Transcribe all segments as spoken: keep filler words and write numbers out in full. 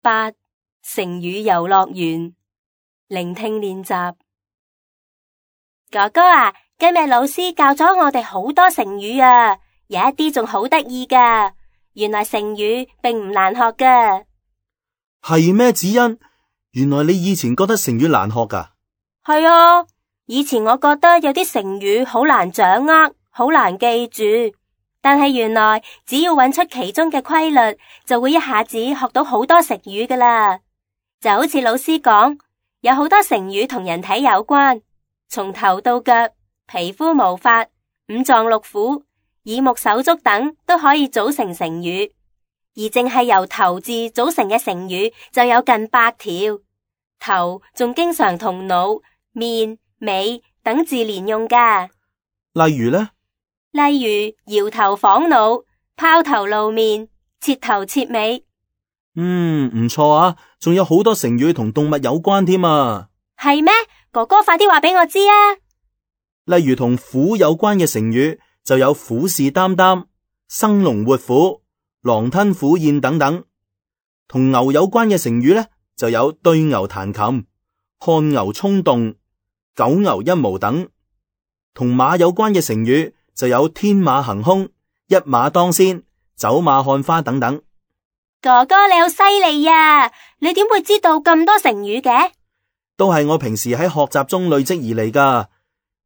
八、成語遊樂園，聆聽練習。哥哥啊，今日老師教咗我哋好多成語啊，有一啲仲好得意噶。原來成語並唔難學噶。係咩？子欣，原來你以前覺得成語難學噶？係啊，以前我覺得有啲成語好難掌握，好難記住。但係原來只要揾出其中嘅規律，就會一下子學到好多成語噶啦。就好似老師講，有好多成語同人體有關，從頭到腳、皮膚毛髮、五臟六腑、耳目手足等都可以組成成語。而淨係由頭字組成嘅成語就有近百條。頭仲經常同腦、面、尾等字連用噶。例如呢？例如搖頭晃腦、拋頭露面、徹頭徹尾。嗯，唔錯啊，仲有好多成語同動物有關添啊。係咩？哥哥快啲話俾我知啊。例如同虎有關嘅成語就有虎視眈眈、生龍活虎、狼吞虎咽等等。同牛有關嘅成語呢，就有對牛彈琴、看牛衝動、九牛一毛等。同馬有關嘅成語就有天馬行空、一馬當先、走馬看花等等。哥哥你好犀利呀！你點會知道咁多成語嘅？都係我平時喺學習中累積而嚟噶。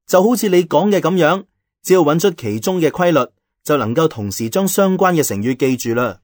就好似你講嘅咁樣，只要揾出其中嘅規律，就能夠同時將相關嘅成語記住啦。